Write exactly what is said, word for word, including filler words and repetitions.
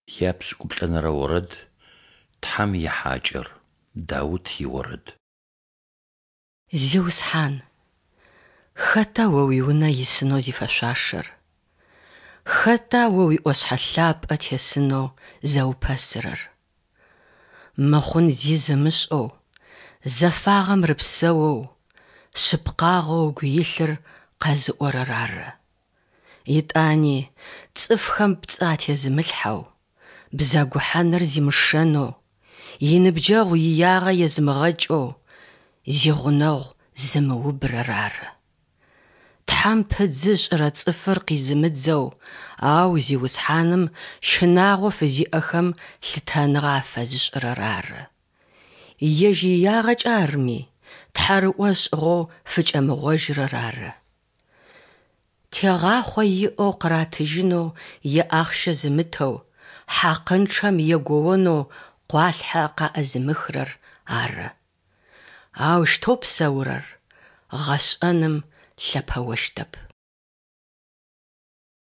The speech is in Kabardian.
Япшӏыкӏуплӏэнэрэ орэд Тхьэм ихьакӏэр. Даут иорэд. Зиусхьан, хэта О уиунэ исынэу зифэшъуашэр? Хэта О уиӏошъхьэ лъапӏэ тесынэу зэупэсырэр? Мыхъун зи зымышӏэу, зэфагъэм рыпсэоу, шъыпкъагъэу ыгу илъыр къэзыӏорэр ары. Етӏани цӏыфхэм пцӏы атезымылъхьэу, бзэгухьаныр зимышэнэу, иныбджэгъу иягъэ езымыгъэкӏэу, зигъунэгъу зымыубырэр ары. Тхьэм пыдзы ышӏырэ цӏыфыр къизымыдзэу, ау Зиусхьаным щынагъо фызиӏэхэм лъытэныгъэ афэзышӏырэр ары. Ежь иягъэкӏэ арми, тхьарыӏо ышӏыгъэу фыкӏэмыгъожьырэр ары. Тегъахъо иӏэу къыратыжьынэу иахъщэ зымытэу, хьакъынчъэм егоонэу къуалъхьэ къаӏызымыхырэр ары. Аущтэу псэурэр гъэшӏэным лъэпэощтэп.